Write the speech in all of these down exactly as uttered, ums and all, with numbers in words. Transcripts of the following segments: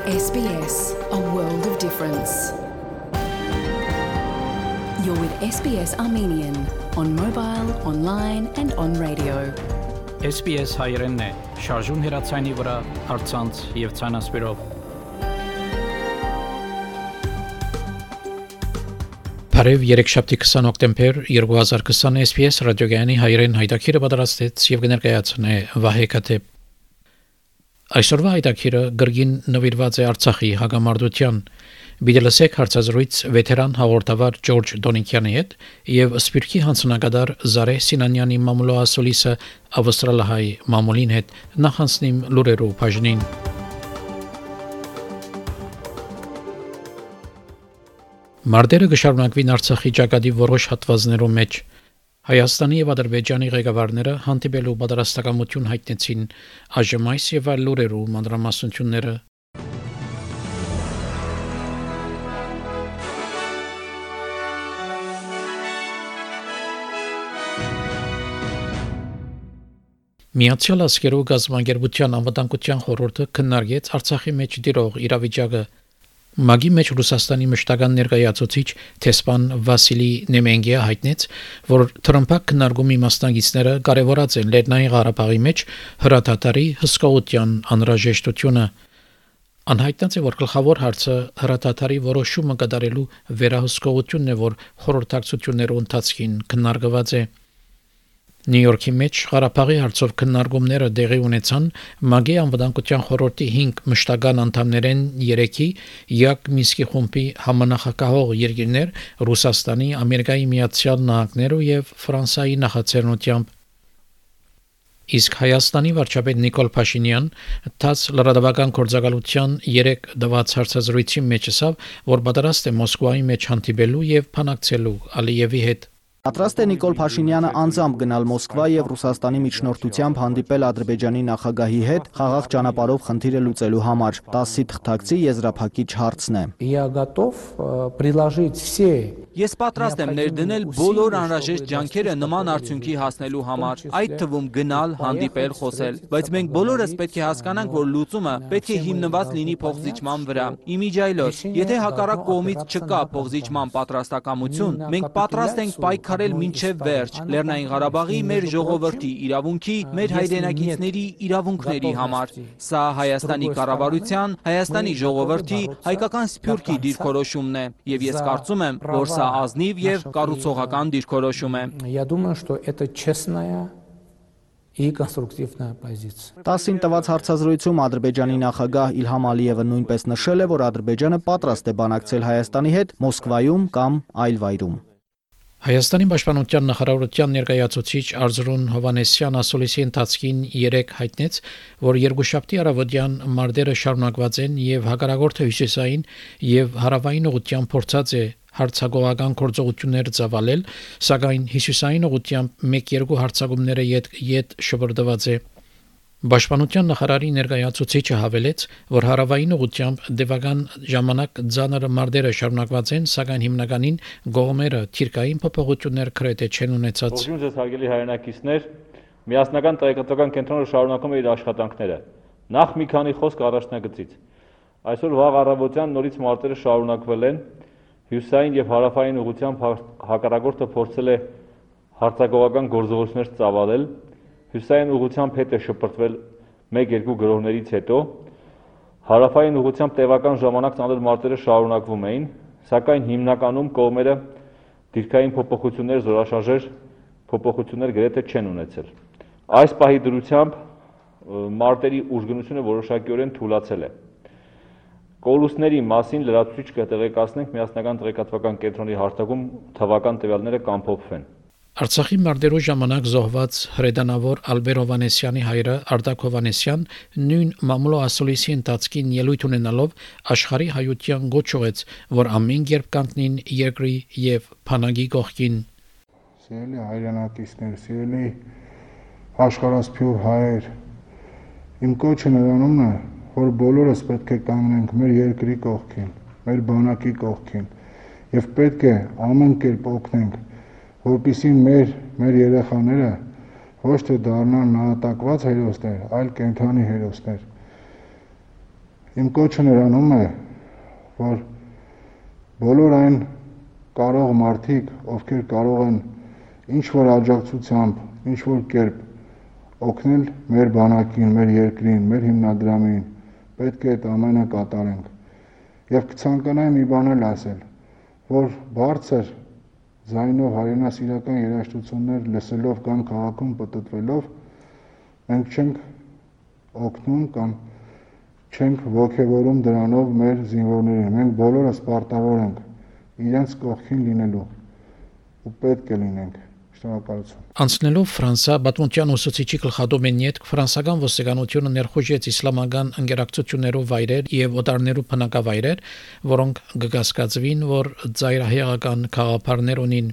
S B S, a world of difference. You're with S B S Armenian on mobile, online and on radio. S B S հայերենն է, շարժուն հեռացայինի վրա, առցանց եւ ցանասպիրով։ Բարև երեքշաբթի քսան հոկտեմբեր երկու հազար քսան S B S ռադիոգյանի հայերեն հայտակիրը պատրաստեց եւ կներկայացնե Վահե Կաթեփ։ Այսօրվա հայտակիրը գրգին նվիրված է Արցախի հագամարտության։ Բիդելսեք հարցազրույց վետերան հաղորդավար Ջորջ Դոնիկյանի հետ եւ Սպիրկի հանձնագետար Զարե Սինանյանի մամուլոասոլիսը ավստրալահայ մամուլին հետ նախանցնիմ լուրերու բաժնին։ Մարտերը կշարունակվին Արցախի ճակատի որոշ հատվածներում մեջ։ Հայաստանի եւ Ադրբեջանի ղեկավարները հանդիպելու պատրաստակամություն հայտնեցին այժմ այս եւ այլ լուրերու մանրամասնությունները։ Միացյալ Աշխարհի գազམ་ագերբության անվտանգության խորհուրդը քննարկեց Արցախի մեջ դիրող իրավիճակը։ Մագի մեջ Ռուսաստանի մշտական ներկայացուցիչ Թեսպան Վասիլի Նեմենգիա հայտնեց, որ Թրամփակ քննարկումի մասնակիցները կարևորած են Լեռնային Ղարաբաղի մեջ հրաթաթարի հսկողության անհրաժեշտությունը։ Անհայտնած է, որ գլխավոր հարցը հրաթաթարի որոշումը կատարելու վերահսկողությունն է, որ խորհրդակցությունների ընթացքին քննարկված է։ Նյու Յորքի մեջ Ղարաբաղի հարցով քննարկումները տեղի ունեցան Մագի անվտանգության խորհրդի հինգ մշտական անդամներեն երեքի Յակ Մինսկի խումբի համանախագահող երկիրներ Ռուսաստանի, Ամերիկայի Միացյալ Նահանգներու եւ Ֆրանսիայի նախաձեռնությամբ։ Իսկ Հայաստանի վարչապետ Նիկոլ Փաշինյան տաս լրատվական գործակալության երեք դված հարցազրույցի մեջ ասավ, որ պատրաստ է Մոսկվայի մեջ հանդիպելու եւ բանակցելու Ալիևի հետ։ Պատրաստ է Նիկոլ Փաշինյանը անձամբ գնալ Մոսկվա եւ Ռուսաստանի միջնորդությամբ հանդիպել Ադրբեջանի նախագահի հետ խաղաղ ճանապարհով խնդիրը լուծելու համար։ տասի թղթակցի եզրափակիչ հարցն է։ Я готов приложить все Ես պատրաստ եմ ներդնել բոլոր անհրաժեշտ ջանքերը նման արդյունքի հասնելու համար, այդ թվում գնալ, հանդիպել, խոսել, բայց մենք բոլորս պետք է հասկանանք, որ լուծումը պետք է հիմնված լինի փոխզիջման վրա։ Իմիջայլոց, եթե հակառակ կողմից չկա փոխզիջման պատրաստակամություն, մենք պատրաստ ենք պայքարել մինչև վերջ Լեռնային Ղարաբաղի մեր ժողովրդի իրավունքի, մեր հայրենակիցների իրավունքների համար։ Սա Հայաստանի կառավարության, Հայաստանի ժողովրդի, հայկական սփյուռքի դիրքորոշումն է, եւ ես կարծում եմ, որ սա ազնիվ եւ կառուցողական դիրքորոշում է։ Я думаю, что это честная и конструктивная позиция։ տասին տված հարցազրույցում Ադրբեջանի նախագահ Իլհամ Ալիևը նույնպես նշել է, որ Ադրբեջանը պատրաստ է բանակցել Հայաստանի հետ Մոսկվայում կամ այլ վայրում։ Հայաստանի պաշտպանության նախարարության ներկայացուցիչ Արզրուն Հովանեսյան ասուլիսի ընթացքին երեք հայտնեց, որ երկուշաբթի առավոտյան մարտերը շարունակված են եւ հակառակորդը հյուսիսային եւ հարավային ուղղությամբ փորձած է հարցակողական գործողություններ ծավալել, սակայն հյուսիսային ուղղությամբ մեկ-երկու հարձակումները յետ յետ շփրդված է։ Պաշտպանության նախարարի ներկայացուցիչը հավելեց, որ հարավային ուղղությամբ դեպական ժամանակ ցաներ մարտերը շարունակված են, սակայն հիմնականին գողմերը թիրքային փոփոխություններ քրեթե չեն ունեցած։ Ողջույն ձեզ հարգելի հայրենակիցներ, միասնական տեղեկատվական կենտրոնը շարունակում է իր աշխատանքները։ Նախ մի քանի խոսք առաջնագծից։ Այսօր վաղ առավոտյան նորից մարտերը շարունակվել են, հյուսիսային եւ հարավային ուղղությամբ հակառակորդը փորձել է հարձակողական գործողություններ ծավալել։ Հյուսիսային ուղղությամբ հետ է շփրտվել մեկ-երկու գրոհներից հետո, հարավային ուղղությամբ տևական ժամանակ ծանր մարտերը շարունակվում էին, սակայն հիմնականում կողմերը դիրքային փոփոխություններ, զորաշարժեր փոփոխություններ գրեթե չեն ունեցել։ Այս պահի դրությամբ մարտերի ուժգնությունը որոշակիորեն թուլացել է։ Կորուստների մասին լրացուցիչ կտեղեկացնենք միասնական տեղեկատվական կենտրոնի հարթակում թվական տվյալները կամփոփվեն։ Արցախի մարտերու ժամանակ զոհված հրեդանավոր Ալբեր Հովանեսյանի հայրը Արտակ Հովանեսյան նույն մամուլոասոլիսի ընթացքին ելույթ ունենալով աշխարհի հայության գոչ ուղեց, որ ամեն երբ կանգնին երկրի եւ փանագի կողքին։ Սիրելի հայրենակիցներ, սիրելի աշխարհասփյուռ հայեր, իմ կոչը նրանումն է, որ բոլորս պետք է կանգնենք մեր երկրի կողքին, մեր բանակի կողքին եւ պետք է ամեն կերպ օգնենք, որպեսզի մեր մեր երեխաները ոչ թե դառնան նահատակված հերոսներ, այլ կենդանի հերոսներ։ Իմ կոչը նրանում է, որ բոլոր այն կարող մարդիկ, ովքեր կարող են ինչ-որ աջակցությամբ, ինչ-որ կերպ օգնել մեր բանակին, մեր երկրին, մեր հիմնադրամին, պետք է այդ ամենը կատարենք։ Եվ կցանկանայի մի բան էլ ասել, որ բարձր ձայնով հայրենասիրական երաժշտություններ լսելով կամ քաղաքում պտտվելով մենք չենք օգնում կամ չենք ոգևորում դրանով մեր զինվորներին։ Մենք բոլորս պարտավոր ենք իրենց կողքին լինելու ու պետք է լինենք։ Շնորհակալություն։ Անցնելով Ֆրանսա, Բաթմունտյան ուսուցիչի գլխադոմենի հետ ֆրանսական ոստիկանությունը ներխուժեց իսլամական ընկերակցություններով վայրեր եւ օտարներու բնակավայրեր, որոնք կգասկածվին, որ ծայրահեղական խաղապարներ ունին։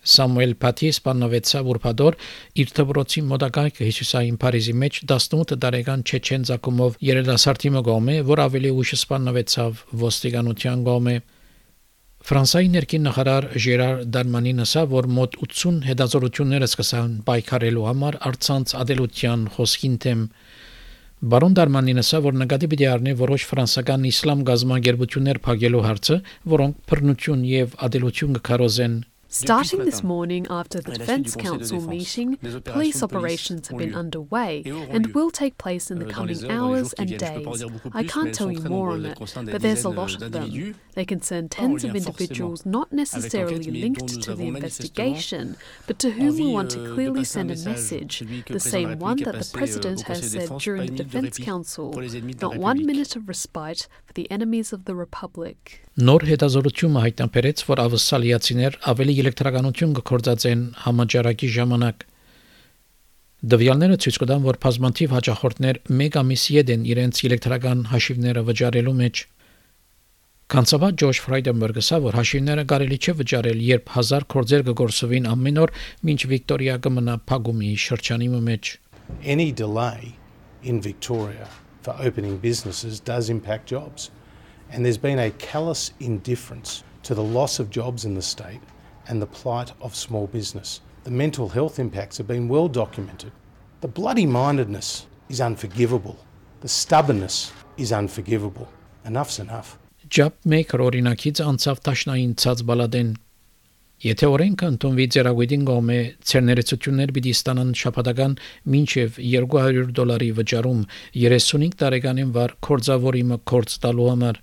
Սամուել Փաթի սպանվեցավ ուրբաթօր իր դպրոցի մոտակայքը Հիսուսային Փարիզի մեջ տասնութ տարեկան չեչեն ցակումով երիտասարդի մգոմե, որ ավելի ուշ սպանվեցավ ոստիկանության կողմէ։ Ֆրանսիայի ներքին նախարար Ժերար Դարմանին ասավ, որ մոտ ութսուն հետազոտություններ սկսան պայքարելու համար առցանց ադելության խոսքին թեմ։ Բարոն Դարմանին ասավ, որ նկատի պիտի առնի որոշ ֆրանսական իսլամ գազམ་ագերբություններ փակելու հարցը, որոնք բռնություն եւ ադելություն կքարոզեն։ Starting this morning after the Defence Council meeting, police operations have been underway and will take place in the coming hours and days. I can't tell you more on it, but there's a lot of them. They concern tens of individuals not necessarily linked to the investigation, but to whom we want to clearly send a message, the same one that the President has said during the Defence Council, not one minute of respite for the enemies of the Republic. Նոր հետազոտությունը հայտնաբերեց, որ ավսալիացիներ ավելի էլեկտրականություն կգործածեն համաճարակի ժամանակ։ Դվյալները ցույց կտան, որ բազմաթիվ հաճախորդներ մեկ ամիս յետեն իրենց էլեկտրական հաշիվները վճարելու մեջ։ Կանցավա Ջորջ Ֆրայդենբերգը ասա, որ հաշիվները կարելի չէ վճարել, երբ հազար գործեր կգործվին ամեն օր, մինչ Վիկտորիա կմնա փակումի շրջանի մեջ։ Any delay in Victoria for opening businesses does impact jobs. And there's been a callous indifference to the loss of jobs in the state and the plight of small business. The mental health impacts have been well documented. The bloody-mindedness is unforgivable. The stubbornness is unforgivable. Enough's enough. Job maker օրինակից անցավ տաշնային ցած բալադեն։ Եթե օրենքը ընդունվի ծերագույդին գոմե ցերներեցություններ պիտի ստանան շաբաթական մինչև երկու հարյուր դոլարի վճարում երեսունհինգ տարեկանին վար կորձավորի մը կորձ տալու համար։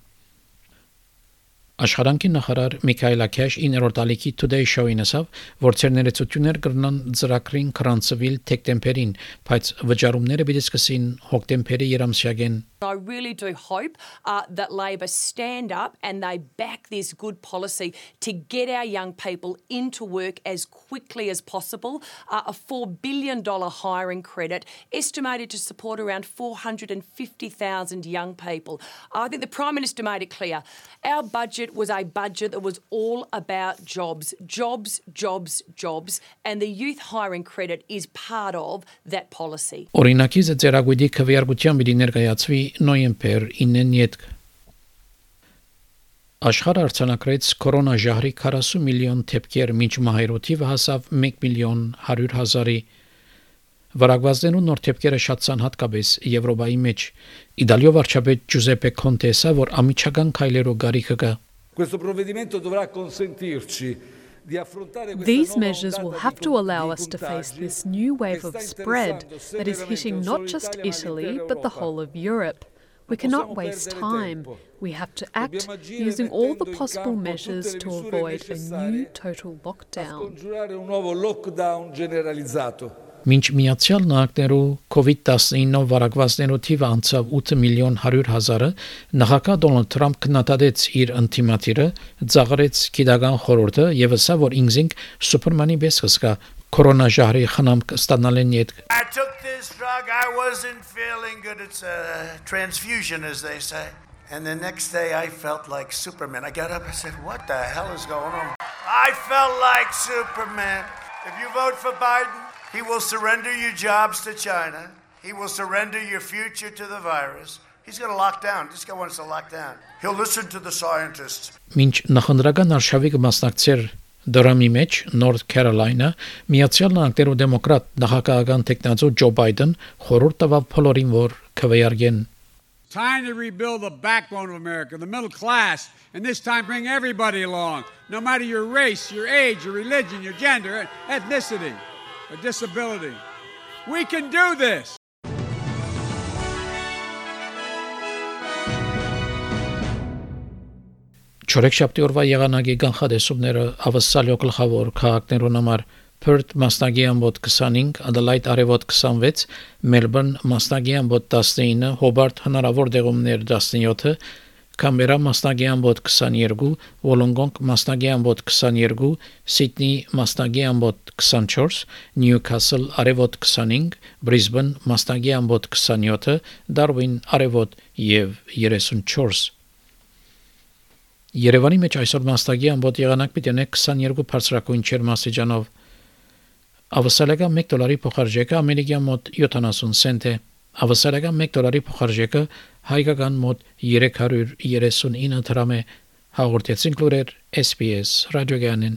Աշխարհանքի նախարար Միքայել Աքյաշ իններորդ ալիքի Today Show-ին ասավ, որ ցերներեցություններ կրնան ծրագրին կրանցվել թեկտեմբերին, բայց վճարումները պիտի սկսին հոկտեմբերի երամսյակեն։ I really do hope uh, that Labor stand up and they back this good policy to get our young people into work as quickly as possible. Uh, a four billion dollars hiring credit estimated to support around four hundred fifty thousand young people. I think the Prime Minister made it clear. Our budget was a budget that was all about jobs, jobs, jobs, jobs, and the youth hiring credit is part of that policy. Օրինակիցը ծերագույդի քվեարկության պիտի ներկայացվի նոյեմբեր ինին յետք։ Աշխարհը արձանագրեց կորոնաժահրի քառասուն միլիոն դեպքեր, մինչ մահերոթիվը հասավ մեկ միլիոն հարյուր հազարի։ Վարակվածներու նոր դեպքերը շատցան հատկապես Եվրոպայի մեջ։ Իտալիո վարչապետ Ջուզեպե Կոնտեսը, որ ամիջական քայլերով գարիքը կա։ Questo provvedimento dovrà consentirci. These measures will have to allow us to face this new wave of spread that is hitting not just Italy, but the whole of Europe. We cannot waste time. We have to act using all the possible measures to avoid a new total lockdown. Մինչ Միացյալ Նահանգներու COVID nineteen վարակվածներու թիվը անցավ ութ միլիոն հարյուր հազարը, նախագահ Դոնալդ Թրամփ քննադատեց իր ընտիմատիրը, ծաղրեց գիտական խորհուրդը եւ ասավ, որ ինքնին Սուպերմանի պես կսկա կորոնաժահրի խնամք ստանալեն յետ։ I took this drug, I wasn't feeling good. It's a transfusion, as they say. And the next day I felt like Superman. I got up and said, what the hell is going on? I felt like Superman. If you vote for Biden, he will surrender your jobs to China. He will surrender your future to the virus. He's going to lock down. This guy wants to lock down. He'll listen to the scientists. Մինչ նախնդրական արշավի կմասնակցեր դրամի մեջ North Carolina, Միացյալ Նահանգներու դեմոկրատ նախագահական տեխնացու Ջո Բայդեն խորհուրդ տվավ բոլորին, որ քվեարկեն։ Time to rebuild the backbone of America, the middle class, and this time bring everybody along, no matter your race, your age, your religion, your gender, ethnicity, or disability. We can do this. Չորեքշաբթի օրվա եղանակի կանխատեսումները ավսալյո գլխավոր քաղաքներուն համար Perth մասնագի ամբոտ քսանհինգ, Adelaide արևոտ քսանվեց, Melbourne մասնագի ամբոտ տասնինը, Hobart հնարավոր դեղումներ տասնյոթը, Canberra մասնագի ամբոտ քսաներկու, Wollongong մասնագի ամբոտ քսաներկու, Sydney մասնագի ամբոտ քսանչորս, Newcastle արևոտ քսանհինգ, Brisbane մասնագի ամբոտ քսանյոթը, Darwin արևոտ եւ երեսունչորս Երևանի մեջ այսօր մասնագի ամբոտ եղանակ պիտի ունենա քսաներկու բարձրակույն ջերմաստիճանով Ավսալական մեկ դոլարի փոխարժեքը ամերիկյան մոտ յոթանասուն سنت է Ավսալական մեկ դոլարի փոխարժեքը հայկական մոտ երեք հարյուր երեսունինը դրամ է հաղորդեցին լուրեր S B S ռադիոգյանեն